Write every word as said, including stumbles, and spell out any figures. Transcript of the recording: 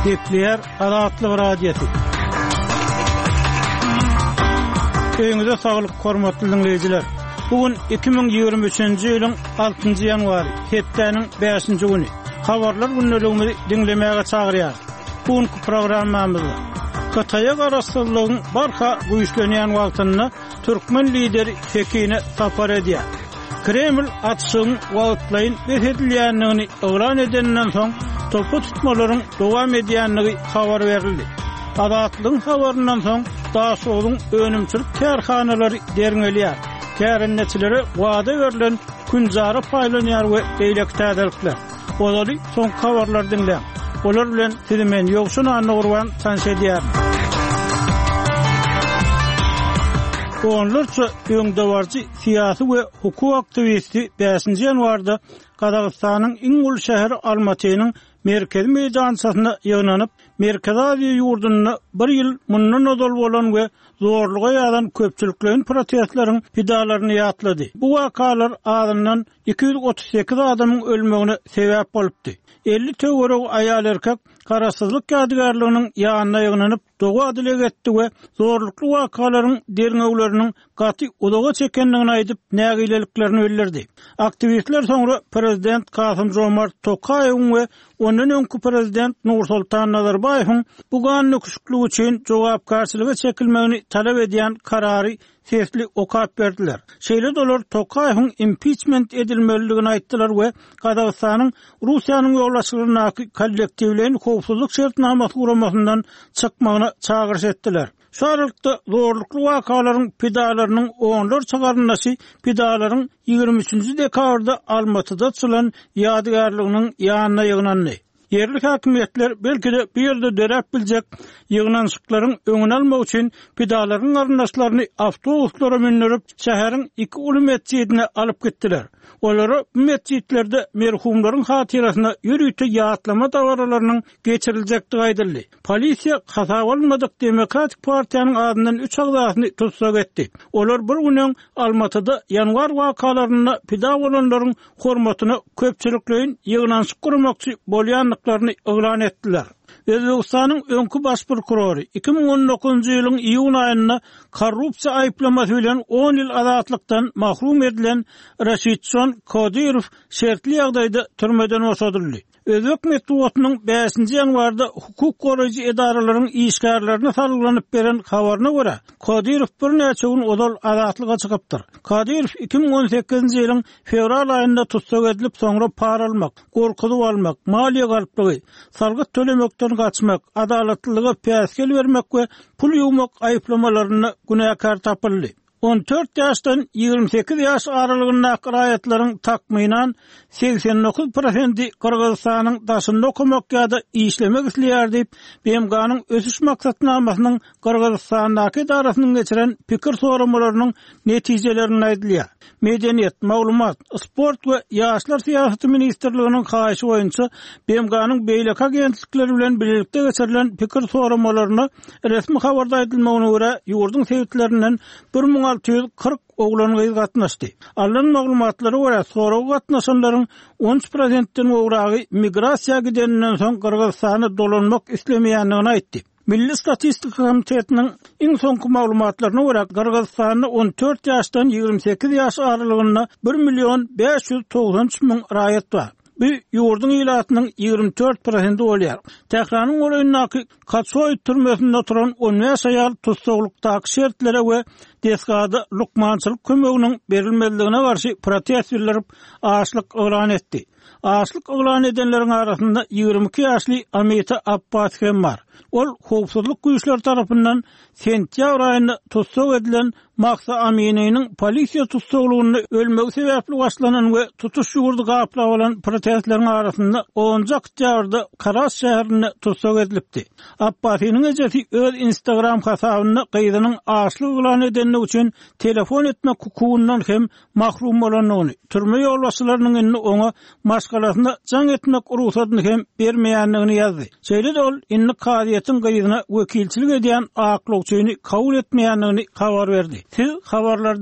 Gepleýär Azatlyk Radiosy. Öýüňize saglyk, hormatly diňleýjiler. Bu gün iki müň ýigrimi üçünji ýylyň altynjy ýanwary, hepdäniň bäşinji güni. Habarlar gündeligimizi diňlemäge çagyrýarys. Bu günki programmamyzda Hytaýa garaşsyzlygyň barha güýçlenýän wagtynda türkmen lideri Pekine sapar edýär. Kreml atyşygyň wagtlaýyn bes edilýändigini yglan edeninden soň, topa tutmalaryň dowam edýändigi habar berildi. Azatlygyň habaryndan soň, Daşogzuň önümçilik kärhanalary derňelýär, kärendeçilere wada berlen künjara paýlanýar we beýleki täzelikler. Ozaly soňky habarlary diňläň. Olar bilen sizi men Ýowşan Annagurban tanyş edýärin. Onlarça öňdebaryjy syýasy we hukuk aktiwisti bäşinji ýanwarda Gazagystanyň iň uly şäheri Almatynyň merkezi meýdançasyna ýygnanyp, Merkezi Aziýa ýurdunda bir ýyl mundan ozal bolan we zorluga ýazan köpçülikleýin protestleriň pidalaryny ýatlady. Bu wakalar azyndan iki ýüz otuz sekiz adamyň ölmegine sebäp bolupdy. Elli töweregi aýal-erkek Garaşsyzlyk ýadygärliginiň ýanyna ýygnanyp, doga-dileg etdi we zorlukly wakalaryň derňewleriniň gaty uzaga çekendigini aýdyp, nägileliklerini bildirdi. Aktiwistler soňra prezident Kasym-Žomart Tokaýewiň we ondan öňki prezident Nursultan Nazarbaýewiň bu gan döküşikligi üçin jogapkärçilige çekilmegini talap edýän karary sesli okap berdiler. Şeýle-de olar Tokaýewiň impiçment edilmelidigini aýtdylar we Gazagystanyň Russiýanyň ýolbaşçylygyndaky Kollektiwleýin howpsuzlyk şertnamasy guramasyndan çykmagyna çagyryş etdiler. Şu aralykda zorlukly wakalaryň pidalarynyň onlarça garyndaşy pidalaryň ýigrimi üçünji dekabrda Almatyda açylan ýadygärliginiň ýanyna ýygnandy. Ýerli häkimiýetler belki-de bu ýerde döräp biljek ýygnanyşyklaryň öňüni almak üçin pidalaryň garyndaşlaryny awtobuslara mündürip, şäheriň iki uly metjidine alyp gitdiler. Olara bu metjitlerde merhumlaryň hatyrasyna ýörite ýatlama dabaralarynyň geçiriljekdigi aýdyldy. Polisiýa hasaba alynmadyk Demokratik partiýanyň azyndan üç agzasyny tussag etdi. Olar bir gün öň Almatyda ýanwar wakalarynda pida bolanlaryň hormatyna köpçülikleýin ýygnanyşyk guramakçy bolýandyklaryny yglan etdiler. Özbegistanyň öňki baş prokurory iki müň on dokuzynjy ýylyň iýun aýynda korrupsiýa aýyplamasy bilen on ýyl azatlykdan mahrum edilen Raşidjon Kodirow şertli ýagdaýda türmeden boşadyldy. Özbek metbugatynyň bäşinji ýanwarda hukuk goraýjy edaralaryň işgärlerine salgylanyp beren habaryna görä, Kodirow birnäçe gün ozal azatlyga çykypdyr. Kodirow iki müň on sekizinji ýylyň fewral aýynda tussag edilip, soňra para almak, gorkuzyp almak, maliýe galplygy, salgyt tölemekden gaçmak, adalatlylyga päsgel bermek we pul ýuwmak aýyplamalarynda günäkär tapyldy. On dört ýaşdan ýigrimi sekiz ýaş aralygyndaky raýatlaryň takmynan segsen dokuz prosendi Gyrgyzystanyň daşynda okamak ýa-da işlemek isleýär diýip, B M G-nyň Ösüş maksatnamasynyň Gyrgyzystandaky edarasynyň geçiren pikir soramalarynyň netijelerinde aýdylýar. Medeniýet, maglumat, sport we ýaşlar syýasaty ministrliginiň haýyşy boýunça B M G-nyň beýleki agentlikleri bilen bilelikde geçirilen pikir soramalaryna resmi habarda aýdylmagyna görä, ýurduň sebitlerinden bir müň alty ýüz kyrk oglan-gyz gatnaşdy. Alnan maglumatlara görä, soraga gatnaşanlaryň on üç prosentden gowragy migrasiýa gideninden soň Gyrgyzystana dolanmak islemeýändigini aýtdy. Milli statistika komitetiniň iň soňky maglumatlaryna görä, Gyrgyzystanda on dört ýaşdan ýigrimi sekiz ýaş aralygynda bir million bäş ýüz togsan üç müň raýat bar. Bu ýurduň ilatynyň ýigrimi dört prosenti bolýar. Tähranyň golaýyndaky Kaçoý türmesinde oturan on bäş aýal tussaglykdaky şertlere we desgada lukmançylyk kömeginiň berilmezligine garşy protest bildirip, açlyk yglan etdi. Açlyk yglan edenleriň arasynda ýigrimi iki ýaşly Amita Abbas hem bar. Ol howpsuzlyk güýçleri tarapyndan sentýabr aýynda tussag edilen Mahsa Amininiň polisiýa tussaglygynda ölmegi sebäpli başlanan we tutuş ýurdy gaplap alan protestleriň arasynda onunjy oktýabrda Karas şäherinde tussag edilipdi. Abbasiniň ejesi öz Instagram hasabynda gyzynyň açlyk yglan edendigi üçin telefon etmek hukugyndan hem mahrum bolandygyny, türme ýolbaşçylarynyň indi oňa maşgalasyna jaň etmek rugsadyny hem bermeýändigini ýazdy. Şeýle-de ol indi kazyýetiň gyzyna wekilçilik edýän aklawçyny kabul etmeýändigini habar berdi. Siz habarlardan